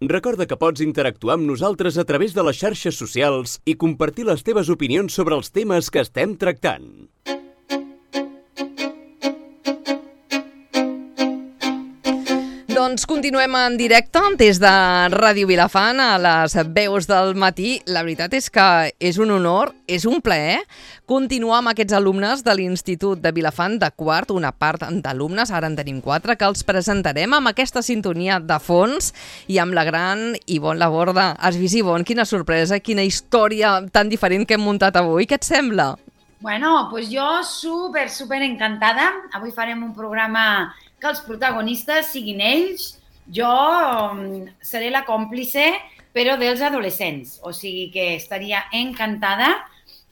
Recorda que pots interactuar amb nosaltres a través de les xarxes socials i compartir les teves opinions sobre els temes que estem tractant. Doncs continuem en directe des de Ràdio Vilafant a les veus del matí. La veritat és que és un honor, és un plaer continuar amb aquests alumnes de l'Institut de Vilafant de quart, una part d'alumnes, ara en tenim 4, que els presentarem amb aquesta sintonia de fons i amb la gran Ivonne Laborda. Has vist, Ivonne, quina sorpresa, quina història tan diferent que hem muntat avui. Què et sembla? Bueno, pues jo super encantada. Avui farem un programa que els protagonistes siguin ells. Jo seré la còmplice, però dels adolescents. O sigui que estaria encantada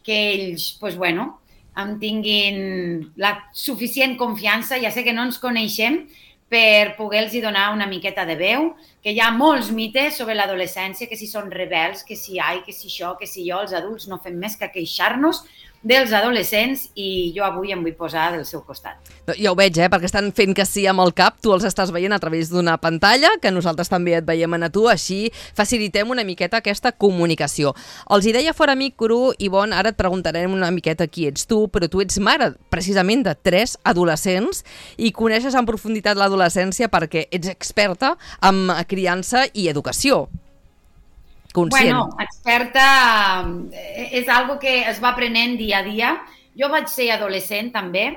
que ells, pues bueno, em tinguin la suficient confiança. Ja sé que no ens coneixem, per poder-los donar una miqueta de veu, que hi ha molts mites sobre l'adolescència, que si són rebels, que si que si això, que si jo, els adults no fem més que queixar-nos dels adolescents i jo avui em vull posar del seu costat. Ja ho veig, perquè estan fent que sí amb el cap, tu els estàs veient a través d'una pantalla, que nosaltres també et veiem a tu, així facilitem una miqueta aquesta comunicació. Els hi deia fora micro, Ivonne, ara et preguntarem una miqueta qui ets tu, però tu ets mare precisament de 3 adolescents i coneixes en profunditat l'adolescència perquè ets experta en criança i educació. Conscient. Bueno, experta és algo que es va aprenent dia a dia. Jo vaig ser adolescent també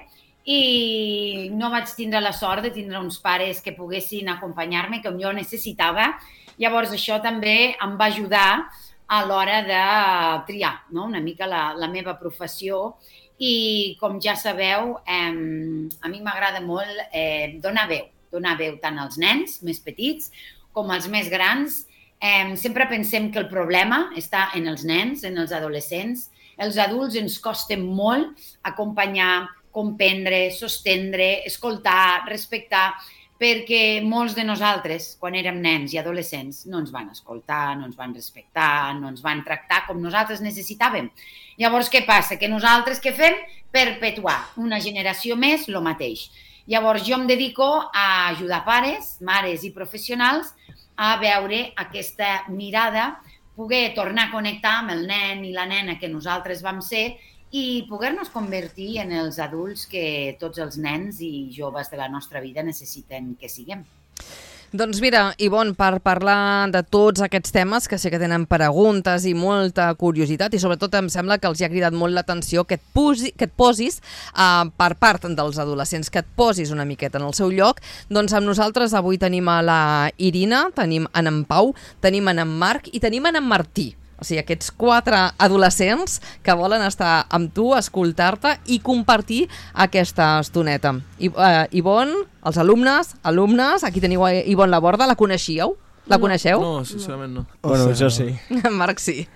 i no vaig tindre la sort de tindre uns pares que poguessin acompanyar-me, com jo necessitava. Llavors això també em va ajudar a l'hora de triar, no? Una mica la meva professió i com ja sabeu, a mi m'agrada molt donar veu tant als nens més petits com als més grans. Sempre pensem que el problema està en els nens, en els adolescents. Els adults ens costa molt acompanyar, comprendre, sostendre, escoltar, respectar, perquè molts de nosaltres, quan érem nens i adolescents, no ens van escoltar, no ens van respectar, no ens van tractar com nosaltres necessitàvem. Llavors, què passa? Que nosaltres què fem? Perpetuar una generació més el mateix. Llavors, jo em dedico a ajudar pares, mares i professionals a veure aquesta mirada, poder tornar a connectar amb el nen i la nena que nosaltres vam ser i poder-nos convertir en els adults que tots els nens i joves de la nostra vida necessiten que siguem. Doncs mira, Ivonne, per parlar de tots aquests temes, que sé que tenen preguntes i molta curiositat i sobretot em sembla que els ha cridat molt l'atenció que et posis per part dels adolescents, que et posis una miqueta en el seu lloc. Doncs amb nosaltres avui tenim a la Irina, tenim en Pau, tenim en Marc i tenim en Martí. O sigui, aquests 4 adolescents que volen estar amb tu, escoltar-te i compartir aquesta estoneta. Ivonne, els alumnes, aquí teniu Ivonne Laborda, la coneixíeu? La coneixeu? No, sincerament no. Bueno, jo sí. Marc sí.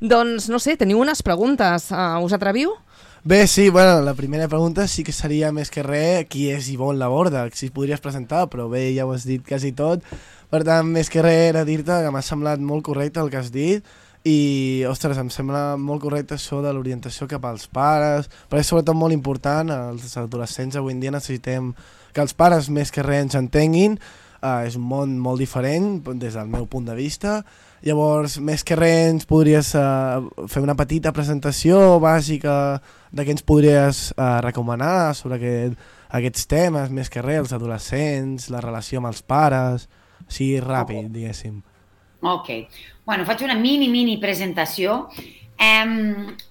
Doncs, no sé, teniu unes preguntes. Us atreviu? Bé, sí, bueno, la primera pregunta sí que seria més que res qui és Ivonne Laborda, si podries presentar, però bé, ja ho has dit quasi tot. Per tant, més que res era dir-te que m'ha semblat molt correcte el que has dit i, ostres, em sembla molt correcte això de l'orientació cap als pares, però és sobretot molt important, els adolescents avui en dia necessitem que els pares més que res ens entenguin, és un món molt diferent des del meu punt de vista. Llavors, més que res ens podries fer una petita presentació bàsica de què ens podries recomanar sobre aquests temes, més que res, els adolescents, la relació amb els pares, així ràpid, diguéssim. Ok. Bueno, faig una mini presentació.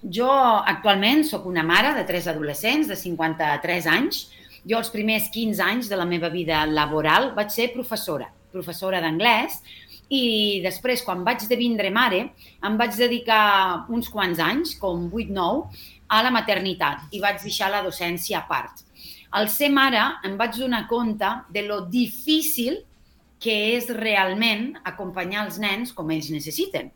Jo actualment sóc una mare de 3 adolescents de 53 anys. Jo els primers 15 anys de la meva vida laboral vaig ser professora d'anglès i després, quan vaig devindre mare, em vaig dedicar uns quants anys, com 8-9, a la maternitat i vaig deixar la docència a part. Al ser mare em vaig donar compte de lo difícil que és realment acompanyar els nens com ells necessiten.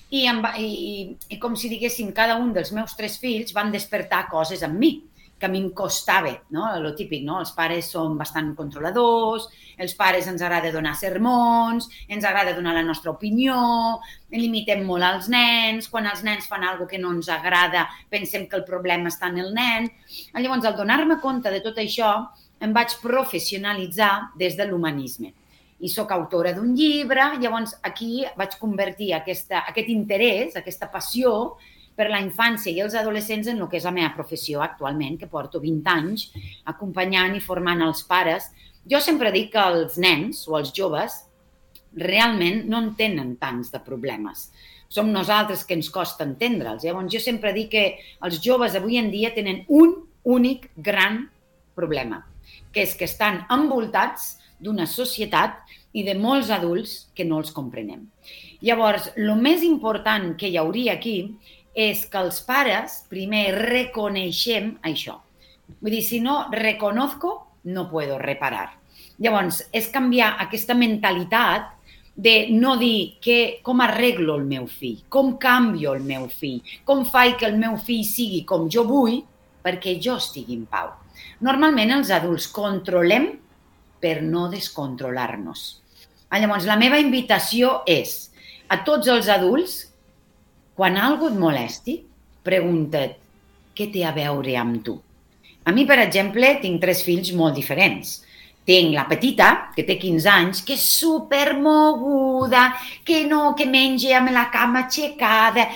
I com si diguéssim, cada un dels meus 3 fills van despertar coses en mi, que a mi em costava, no? Lo típic, no? Els pares són bastant controladors, els pares ens agrada donar sermons, ens agrada donar la nostra opinió, limitem molt als nens, quan els nens fan alguna cosa que no ens agrada pensem que el problema està en el nen. Llavors, al donar-me compte de tot això, em vaig professionalitzar des de l'humanisme. i sóc autora d'un llibre. Llavors, aquí vaig convertir aquest interès, aquesta passió per la infància i els adolescents en el que és la meva professió actualment, que porto 20 anys acompanyant i formant els pares. Jo sempre dic que els nens o els joves realment no en tenen tants de problemes. Som nosaltres que ens costa entendre'ls. Llavors, jo sempre dic que els joves avui en dia tenen un únic gran problema, que és que estan envoltats d'una societat i de molts adults que no els comprenem. Llavors, el més important que hi hauria aquí és que els pares primer reconeixem això. Vull dir, si no reconozco, no puedo reparar. Llavors, és canviar aquesta mentalitat de no dir com arreglo el meu fill, com canvio el meu fill, com faig que el meu fill sigui com jo vull perquè jo estigui en pau. Normalment els adults controlem per no descontrolar-nos. Llavors, la meva invitació és a tots els adults, quan algú et molesti, pregunta't què té a veure amb tu. A mi, per exemple, tinc 3 fills molt diferents. Tinc la petita, que té 15 anys, que és supermoguda, que menja amb la cama aixecada.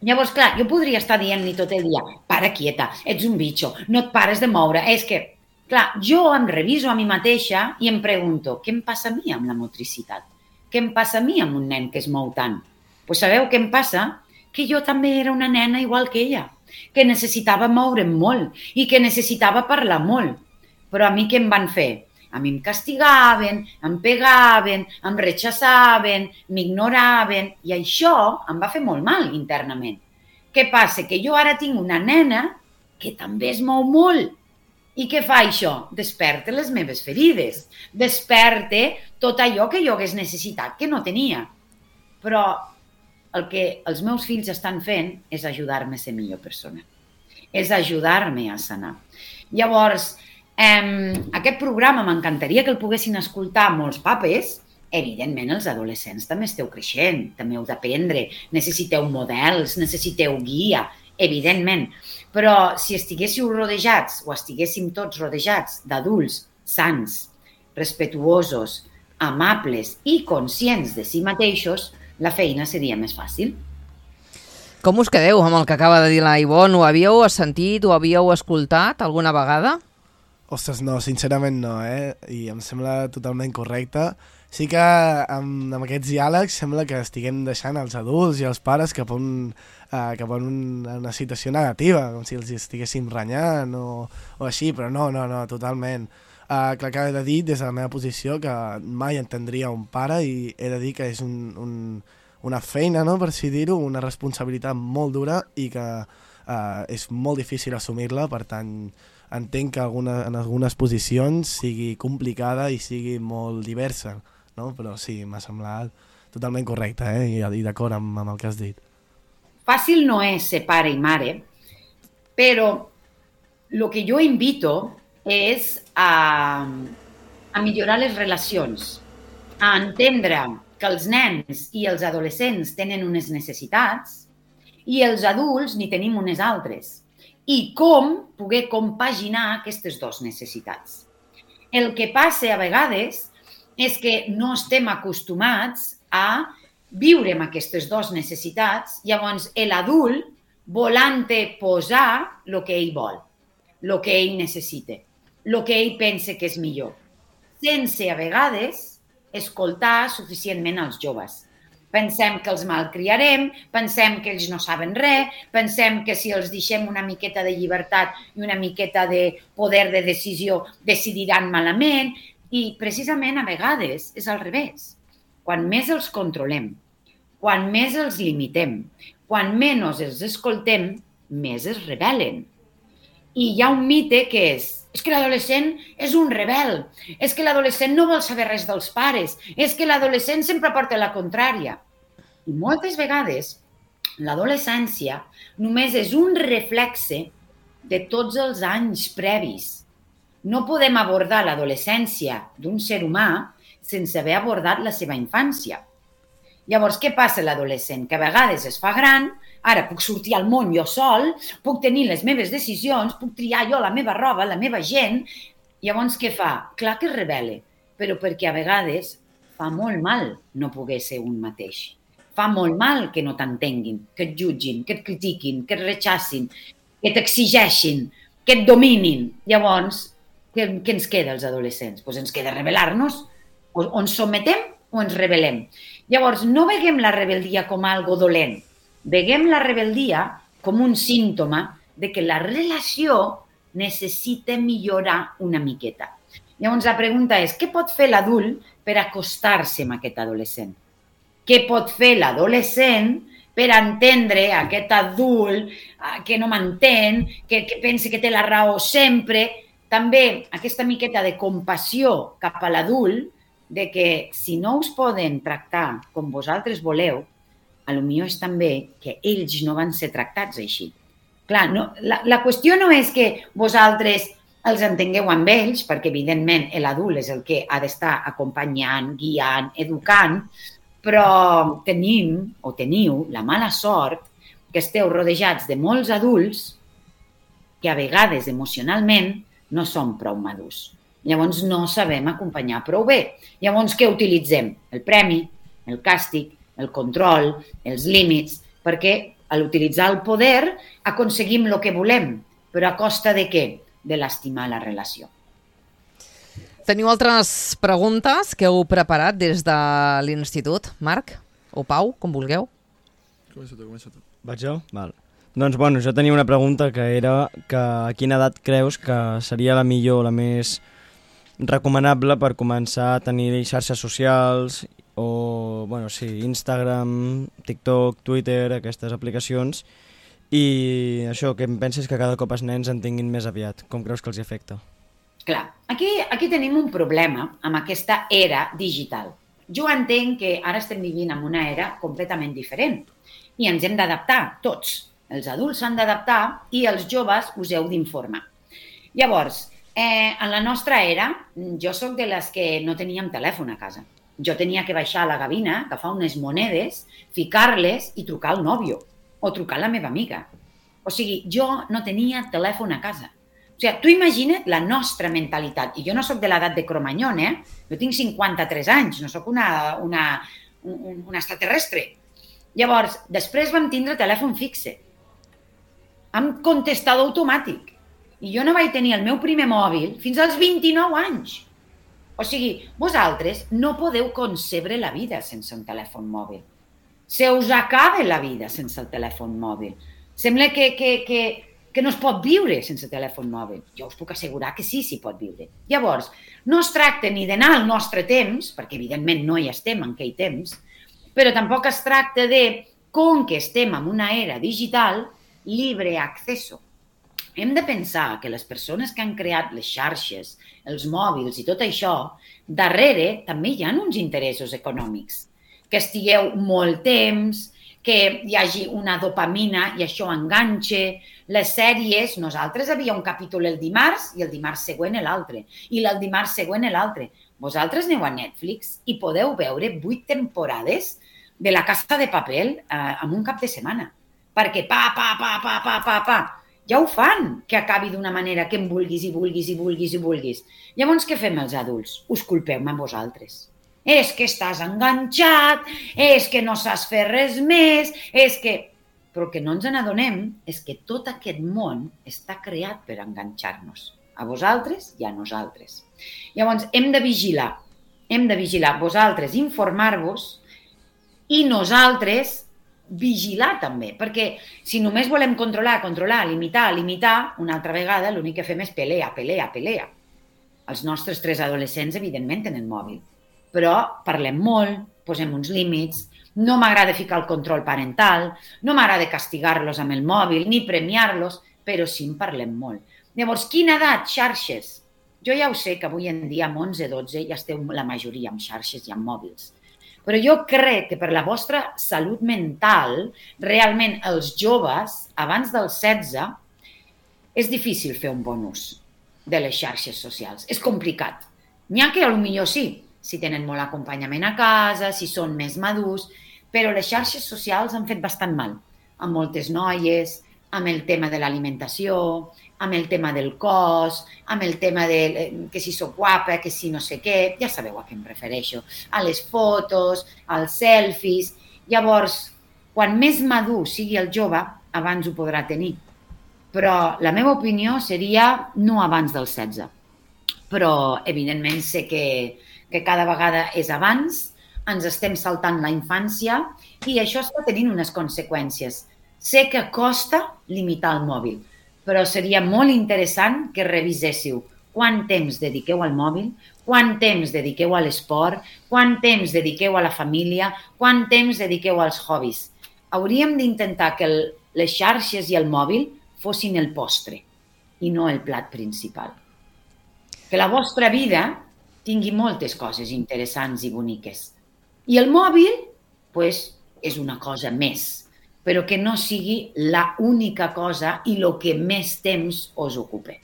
Llavors, clar, jo podria estar dient-li tot el dia, para quieta, ets un bitxo, no et pares de moure. És que, clar, jo em reviso a mi mateixa i em pregunto, què em passa a mi amb la motricitat? Què em passa a mi amb un nen que es mou tant? Doncs sabeu què em passa? Que jo també era una nena igual que ella, que necessitava moure'm molt i que necessitava parlar molt. Però a mi què em van fer? A mi em castigaven, em pegaven, em rechaçaven, m'ignoraven i això em va fer molt mal internament. Què passa? Que jo ara tinc una nena que també es mou molt. I què fa això? Desperta les meves ferides, desperta tot allò que jo hagués necessitat que no tenia. Però el que els meus fills estan fent és ajudar-me a ser millor persona, és ajudar-me a sanar. Llavors, aquest programa m'encantaria que el poguessin escoltar molts papes. Evidentment, els adolescents també esteu creixent, també heu d'aprendre, necessiteu models, necessiteu guia, evidentment. Però si estiguéssiu rodejats o estiguéssim tots rodejats d'adults sants, respetuosos, amables i conscients de si mateixos, la feina seria més fàcil. Com us quedeu amb el que acaba de dir la Ivonne? Ho havíeu sentit, ho havíeu escoltat alguna vegada? Ostres, no, sincerament no, I em sembla totalment correcte. Sí que amb aquests diàlegs sembla que estiguem deixant els adults i els pares cap a una situació negativa, com si els estiguéssim renyant o així, però no, totalment. Clar que he de dir des de la meva posició que mai entendria un pare i he de dir que és una feina, no, per així dir-ho, una responsabilitat molt dura i que és molt difícil assumir-la, per tant entenc que en algunes posicions sigui complicada i sigui molt diversa, no? Però sí, m'ha semblat totalment correcte i d'acord amb el que has dit. Fàcil no és ser pare i mare, però el que jo invito és a millorar les relacions, a entendre que els nens i els adolescents tenen unes necessitats i els adults n'hi tenim unes altres. I com poder compaginar aquestes dues necessitats. El que passa a vegades és que no estem acostumats a viure amb aquestes dues necessitats, llavors l'adult volant posar el que ell vol, el que ell necessita, el que ell pensa que és millor, sense a vegades escoltar suficientment els joves. Pensem que els malcriarem, pensem que ells no saben res, pensem que si els deixem una miqueta de llibertat i una miqueta de poder de decisió decidiran malament i precisament a vegades és al revés. Quan més els controlem, quan més els limitem, quan menys els escoltem, més es rebel·len. I hi ha un mite que és que l'adolescent és un rebel, és que l'adolescent no vol saber res dels pares, és que l'adolescent sempre porta la contrària. I moltes vegades l'adolescència només és un reflexe de tots els anys previs. No podem abordar l'adolescència d'un ser humà sense haver abordat la seva infància. Llavors, què passa a l'adolescent? Que a vegades es fa gran, ara puc sortir al món jo sol, puc tenir les meves decisions, puc triar jo la meva roba, la meva gent. Llavors, què fa? Clar que es rebel·la. però perquè a vegades fa molt mal no poder ser un mateix. Fa molt mal que no t'entenguin, que et jutgin, que et critiquin, que et rechacin, que t'exigeixin, que et dominin. Llavors, què ens queda als adolescents? Doncs ens queda rebel·lar-nos. O ens sometem o ens rebel·lem. Llavors, no veiem la rebel·lia com algo dolent. Veiem la rebel·lia com un símptoma de que la relació necessita millorar una miqueta. Llavors, la pregunta és, què pot fer l'adult per acostar-se amb aquest adolescent? Què pot fer l'adolescent per entendre aquest adult que no m'entén, que pensa que té la raó sempre? També aquesta miqueta de compassió cap a l'adult, de que si no us poden tractar com vosaltres voleu, potser és també que ells no van ser tractats així. Clar, no, la qüestió no és que vosaltres els entengueu amb ells, perquè evidentment l'adult és el que ha d'estar acompanyant, guiant, educant, però teniu la mala sort que esteu rodejats de molts adults que a vegades emocionalment no són prou madurs. Llavors no sabem acompanyar prou bé. Llavors què utilitzem? El premi, el càstig, el control, els límits, perquè a l'utilitzar el poder aconseguim el que volem, però a costa de què? De lastimar la relació. Teniu altres preguntes que heu preparat des de l'institut? Marc o Pau, com vulgueu. Comença tu. Vaig jo? Val. Doncs bueno, jo tenia una pregunta que era que a quina edat creus que seria la millor, la més recomanable per començar a tenir xarxes socials o, bueno, sí, Instagram, TikTok, Twitter, aquestes aplicacions, i això, que em penses que cada cop els nens en tinguin més aviat. Com creus que els afecta? Clar, aquí tenim un problema amb aquesta era digital. Jo entenc que ara estem vivint en una era completament diferent i ens hem d'adaptar tots. Els adults s'han d'adaptar i els joves us heu d'informar. Llavors, en la nostra era, jo sóc de les que no teníem telèfon a casa. Jo tenia que baixar a la gavina, agafar unes monedes, ficar-les i trucar al nòvio o trucar a la meva amiga. O sigui, jo no tenia telèfon a casa. O sigui, tu imagina't la nostra mentalitat. I jo no sóc de l'edat de Cromanyón, Jo tinc 53 anys, no sóc una extraterrestre. Llavors, després vam tindre telèfon fixe, amb contestador automàtic. I jo no vaig tenir el meu primer mòbil fins als 29 anys. O sigui, vosaltres no podeu concebre la vida sense un telèfon mòbil. Se us acaba la vida sense el telèfon mòbil. Sembla que no es pot viure sense telèfon mòbil. Jo us puc assegurar que sí, s'hi pot viure. Llavors, no es tracta ni d'anar al nostre temps, perquè evidentment no hi estem en aquell temps, però tampoc es tracta de, com que estem en una era digital, libre acceso. Hem de pensar que les persones que han creat les xarxes, els mòbils i tot això, darrere també hi ha uns interessos econòmics. Que estigueu molt temps, que hi hagi una dopamina i això enganxa. Les sèries, nosaltres havia un capítol el dimarts i el dimarts següent l'altre, i el dimarts següent l'altre. Vosaltres aneu a Netflix i podeu veure 8 temporades de La Casa de Papel en un cap de setmana. Perquè ja ho fan, que acabi d'una manera que em vulguis i vulguis i vulguis i vulguis. Llavors, què fem els adults? Us culpeu-me a vosaltres. És que estàs enganxat, és que no saps fer res més, és que... Però el que no ens n'adonem és que tot aquest món està creat per enganxar-nos. A vosaltres i a nosaltres. Llavors, hem de vigilar. Vosaltres informar-vos i nosaltres vigilar també. Perquè si només volem controlar, limitar, una altra vegada l'únic que fem és pelea. Els nostres 3 adolescents, evidentment, tenen mòbil. Però parlem molt, posem uns límits, no m'agrada ficar el control parental, no m'agrada castigar-los amb el mòbil, ni premiar-los, però sí en parlem molt. Llavors, quina edat? Xarxes. Jo ja ho sé que avui en dia, amb 11-12, ja esteu la majoria amb xarxes i amb mòbils. Però jo crec que per la vostra salut mental, realment els joves, abans dels 16, és difícil fer un bon ús de les xarxes socials. És complicat. N'hi ha que potser sí, si tenen molt acompanyament a casa, si són més madurs, però les xarxes socials han fet bastant mal a moltes noies, amb el tema de l'alimentació, amb el tema del cos, amb el tema de que si soc guapa, que si no sé què, ja sabeu a què em refereixo, a les fotos, als selfies. Llavors, quan més madur sigui el jove, abans ho podrà tenir. Però la meva opinió seria no abans dels 16. Però, evidentment, sé que cada vegada és abans, ens estem saltant la infància i això està tenint unes conseqüències. Sé que costa limitar el mòbil, però seria molt interessant que reviséssiu quant temps dediqueu al mòbil, quant temps dediqueu a l'esport, quant temps dediqueu a la família, quant temps dediqueu als hobbies. Hauríem d'intentar que les xarxes i el mòbil fossin el postre i no el plat principal. Que la vostra vida tingui moltes coses interessants i boniques. I el mòbil, doncs, és una cosa més, però que no sigui la única cosa i el que més temps us ocupe.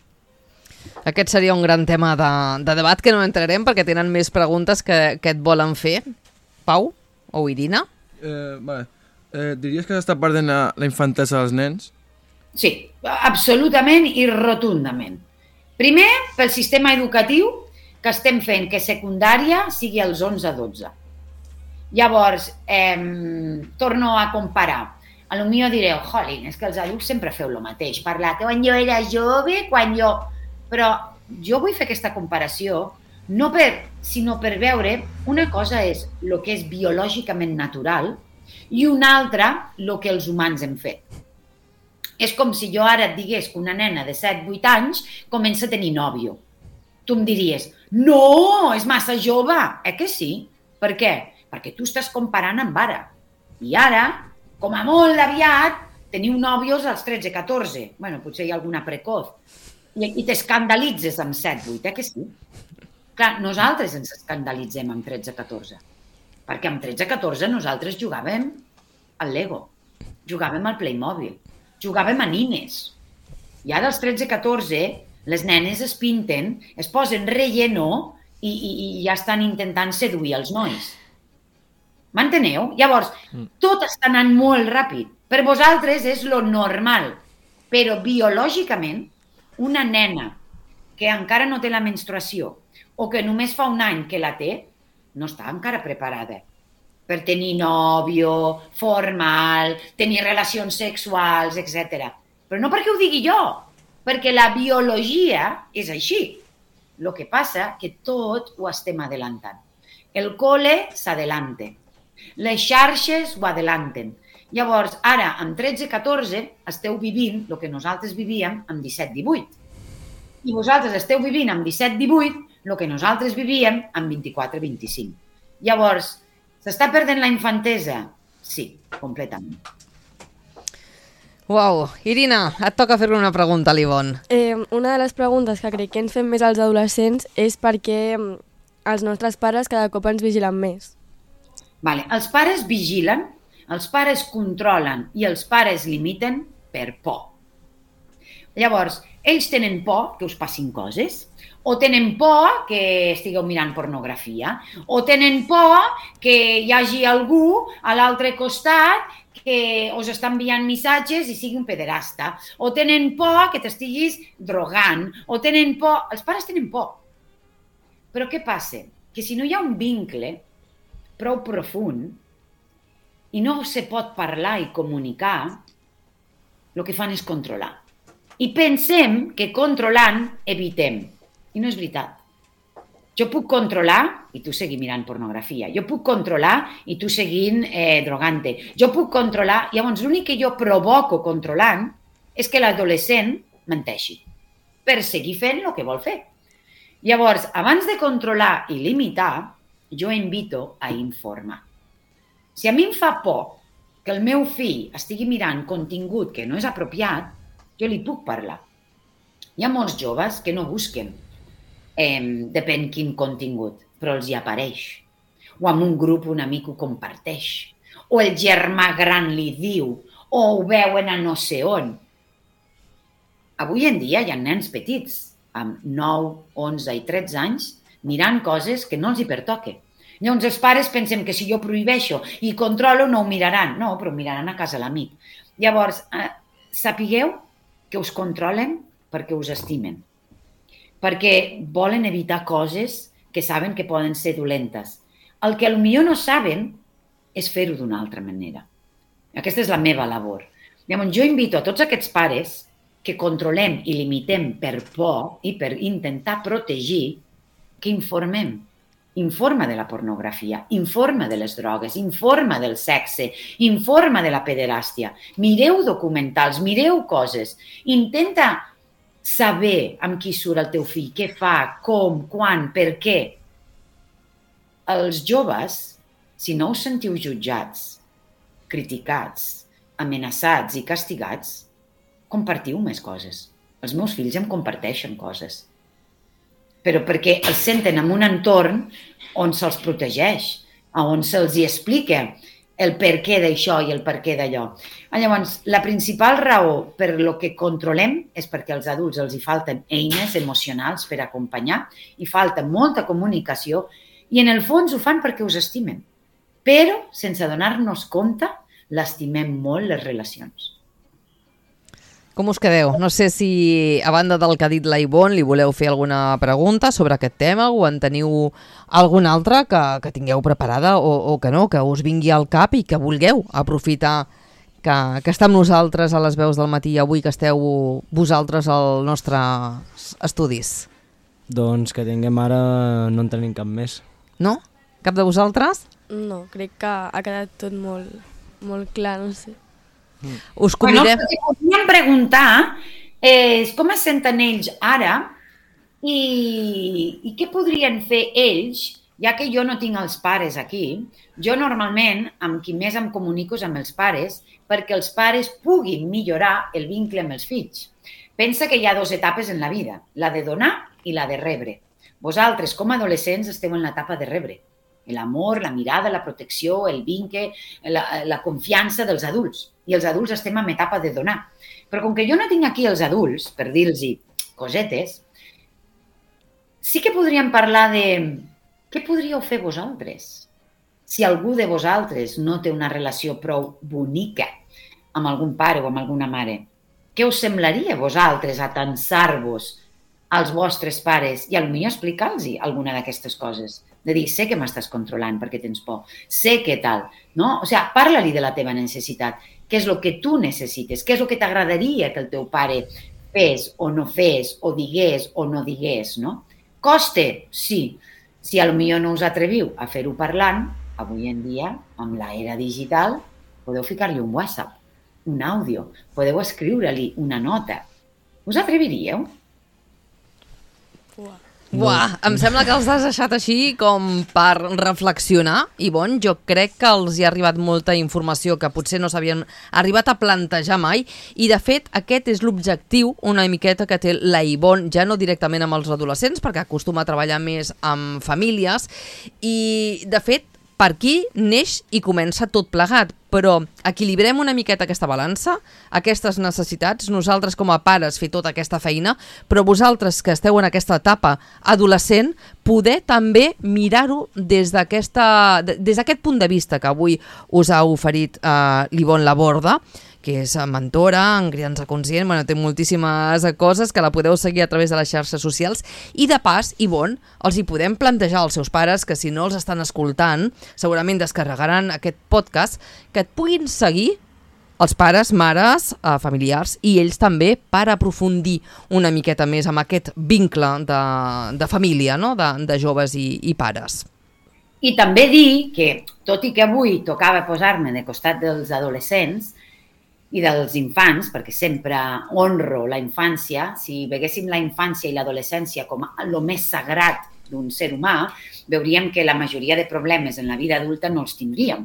Aquest seria un gran tema de debat que no entrarem perquè tenen més preguntes que et volen fer. Pau o Irina? Diries que s'està perdent la infantesa dels nens? Sí, absolutament i rotundament. Primer, pel sistema educatiu, que estem fent que secundària sigui als 11-12. Llavors, torno a comparar. A lo millor direu, jolín, és que els adults sempre feu el mateix. Parlar que quan jo era jove, quan jo... Però jo vull fer aquesta comparació sinó per veure una cosa és el que és biològicament natural i una altra el que els humans hem fet. És com si jo ara et digués que una nena de 7-8 anys comença a tenir nòvio. Tu em diries, no, és massa jove. Que sí? Per què? Perquè tu estàs comparant amb ara. I ara, com a molt aviat, teniu nòvios als 13-14. Bueno, potser hi ha alguna precoz. I t'escandalitzes amb 7-8, que sí? Clar, nosaltres ens escandalitzem amb 13-14. Perquè amb 13-14 nosaltres jugàvem al Lego, jugàvem al Playmobil, jugàvem a nines. I ara als 13-14 les nenes es pinten, es posen relleno i ja estan intentant seduir els nois. M'enteneu? Llavors, tot està anant molt ràpid. Per vosaltres és lo normal, però biològicament una nena que encara no té la menstruació o que només fa un any que la té, no està encara preparada per tenir nòvio, formal, tenir relacions sexuals, etc. Però no perquè ho digui jo, perquè la biologia és així. El que passa que tot ho estem adelantant. El cole s'adelanta, les xarxes ho adelanten. Llavors, ara, amb 13-14, esteu vivint el que nosaltres vivíem amb 17-18. I vosaltres esteu vivint amb 17-18 el que nosaltres vivíem amb 24-25. Llavors, s'està perdent la infantesa? Sí, completament. Uau, Irina, et toca fer-li una pregunta a l'Ivonne. Una de les preguntes que crec que ens fem més als adolescents és per què els nostres pares cada cop ens vigilen més. Vale. Els pares vigilen, els pares controlen i els pares limiten per por. Llavors, ells tenen por que us passin coses, o tenen por que estigueu mirant pornografia, o tenen por que hi hagi algú a l'altre costat que us està enviant missatges i sigui un pederasta, o tenen por que t'estiguis drogant, o tenen por... Els pares tenen por. Però què passa? Que si no hi ha un vincle prou profund i no se pot parlar i comunicar, el que fan és controlar. I pensem que controlant evitem. I no és veritat. Jo puc controlar i tu seguir mirant pornografia. Jo puc controlar i tu seguint drogant-te. Jo puc controlar... Llavors, l'únic que jo provoco controlant és que l'adolescent menteixi per seguir fent el que vol fer. Llavors, abans de controlar i limitar, jo invito a informar. Si a mi em fa por que el meu fill estigui mirant contingut que no és apropiat, jo li puc parlar. Hi ha molts joves que no busquen, depèn quin contingut, però els hi apareix. O amb un grup un amic ho comparteix. O el germà gran li diu, o ho veuen a no sé on. Avui en dia hi ha nens petits, amb 9, 11 i 13 anys, mirant coses que no els hi pertoquen. Llavors els pares pensem que si jo prohibeixo i controlo no ho miraran. No, però ho miraran a casa l'amic. Llavors, sapigueu que us controlen perquè us estimen, perquè volen evitar coses que saben que poden ser dolentes. El que potser no saben és fer-ho d'una altra manera. Aquesta és la meva labor. Llavors, jo invito a tots aquests pares que controlem i limitem per por i per intentar protegir, que informem. Informa de la pornografia, informa de les drogues, informa del sexe, informa de la pederàstia. Mireu documentals, mireu coses. Intenta saber amb qui surt el teu fill, què fa, com, quan, per què. Els joves, si no us sentiu jutjats, criticats, amenaçats i castigats, compartiu més coses. Els meus fills em comparteixen coses. Però perquè els senten en un entorn on se'ls protegeix, on se'ls hi explica el per què d'això i el per què d'allò. Llavors, la principal raó per lo que controlem és perquè als adults els hi falten eines emocionals per acompanyar, hi falta molta comunicació i en el fons ho fan perquè us estimen. Però, sense donar-nos compte, l'estimem molt les relacions. Com us quedeu? No sé si, a banda del que ha dit la Ivonne, li voleu fer alguna pregunta sobre aquest tema o en teniu alguna altra que tingueu preparada o que no, que us vingui al cap i que vulgueu aprofitar que està amb nosaltres a les veus del matí avui que esteu vosaltres als nostres estudis. Doncs que tinguem ara no en tenim cap més. No? Cap de vosaltres? No, crec que ha quedat tot molt clar, no sé. Us convidem... Bueno, si podríem preguntar com es senten ells ara i què podrien fer ells, ja que jo no tinc els pares aquí. Jo normalment amb qui més em comunico és amb els pares perquè els pares puguin millorar el vincle amb els fills. Pensa que hi ha 2 etapes en la vida, la de donar i la de rebre. Vosaltres, com a adolescents, esteu en l'etapa de rebre. L'amor, la mirada, la protecció, el vincle, la confiança dels adults. I els adults estem en etapa de donar. Però com que jo no tinc aquí els adults, per dir-los cosetes, sí que podríem parlar de què podríeu fer vosaltres. Si algú de vosaltres no té una relació prou bonica amb algun pare o amb alguna mare, què us semblaria vosaltres atansar-vos als vostres pares i potser explicar-los alguna d'aquestes coses? De dir, sé que m'estàs controlant perquè tens por, sé que tal, no? O sigui, parla-li de la teva necessitat, què és el que tu necessites, què és el que t'agradaria que el teu pare fes o no fes, o digués o no digués, no? Coste? Sí. Si potser no us atreviu a fer-ho parlant, avui en dia, amb l'era digital, podeu ficar-li un WhatsApp, un àudio, podeu escriure-li una nota. Us atreviríeu? Buah, em sembla que els has deixat així com per reflexionar. Ivonne, jo crec que els hi ha arribat molta informació que potser no s'havien arribat a plantejar mai i de fet aquest és l'objectiu una miqueta que té la Ivonne, ja no directament amb els adolescents perquè acostuma a treballar més amb famílies i de fet per aquí neix i comença tot plegat, però equilibrem una miqueta aquesta balança, aquestes necessitats, nosaltres com a pares fer tota aquesta feina, però vosaltres que esteu en aquesta etapa adolescent, poder també mirar-ho des d'aquest punt de vista que avui us ha oferit l'Ivonne Laborda, que és mentora en criança conscient, té moltíssimes coses que la podeu seguir a través de les xarxes socials i de pas, Ivonne, els hi podem plantejar als seus pares que si no els estan escoltant, segurament descarregaran aquest podcast, que et puguin seguir els pares, mares, familiars i ells també per aprofundir una miqueta més amb aquest vincle de família, no? de joves i pares. I també dir que, tot i que avui tocava posar-me de costat dels adolescents, i dels infants, perquè sempre honro la infància, si veiéssim la infància i l'adolescència com el més sagrat d'un ser humà, veuríem que la majoria de problemes en la vida adulta no els tindríem.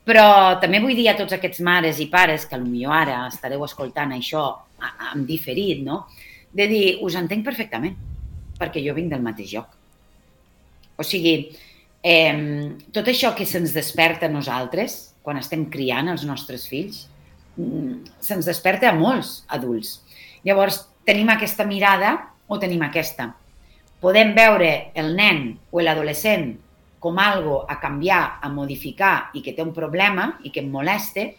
Però també vull dir a tots aquests mares i pares que potser ara estareu escoltant això en diferit, no? De dir, us entenc perfectament, perquè jo vinc del mateix lloc. O sigui, tot això que se'ns desperta a nosaltres, quan estem criant els nostres fills, se'ns desperta a molts adults. Llavors, tenim aquesta mirada o tenim aquesta. Podem veure el nen o l'adolescent com algo a canviar, a modificar i que té un problema i que em moleste,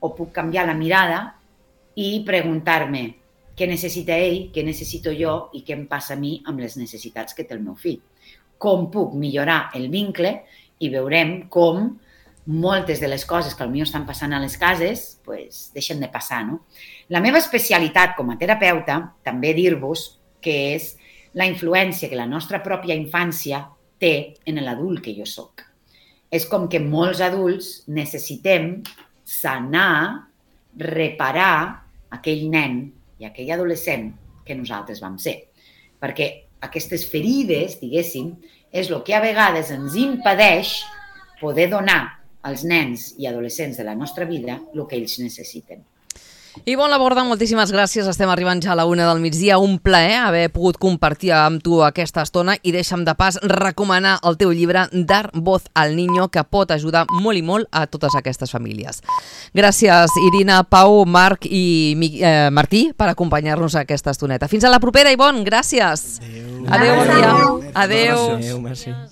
o puc canviar la mirada i preguntar-me què necessita ell, què necessito jo i què em passa a mi amb les necessitats que té el meu fill. Com puc millorar el vincle i veurem com moltes de les coses que potser estan passant a les cases deixen de passar. No? La meva especialitat com a terapeuta, també dir-vos que és la influència que la nostra pròpia infància té en l'adult que jo soc. És com que molts adults necessitem sanar, reparar aquell nen i aquell adolescent que nosaltres vam ser. Perquè aquestes ferides, diguéssim, és el que a vegades ens impedeix poder donar als nens i adolescents de la nostra vida el que ells necessiten. Ivonne Laborda, moltíssimes gràcies. Estem arribant ja a la 1 del migdia. Un plaer haver pogut compartir amb tu aquesta estona i deixa'm de pas recomanar el teu llibre Dar voz al niño, que pot ajudar molt i molt a totes aquestes famílies. Gràcies, Irina, Pau, Marc i Martí, per acompanyar-nos a aquesta estoneta. Fins a la propera, Ivonne. Gràcies. Adéu. Adéu, bon dia. Adéu. Adéu. Adéu, merci.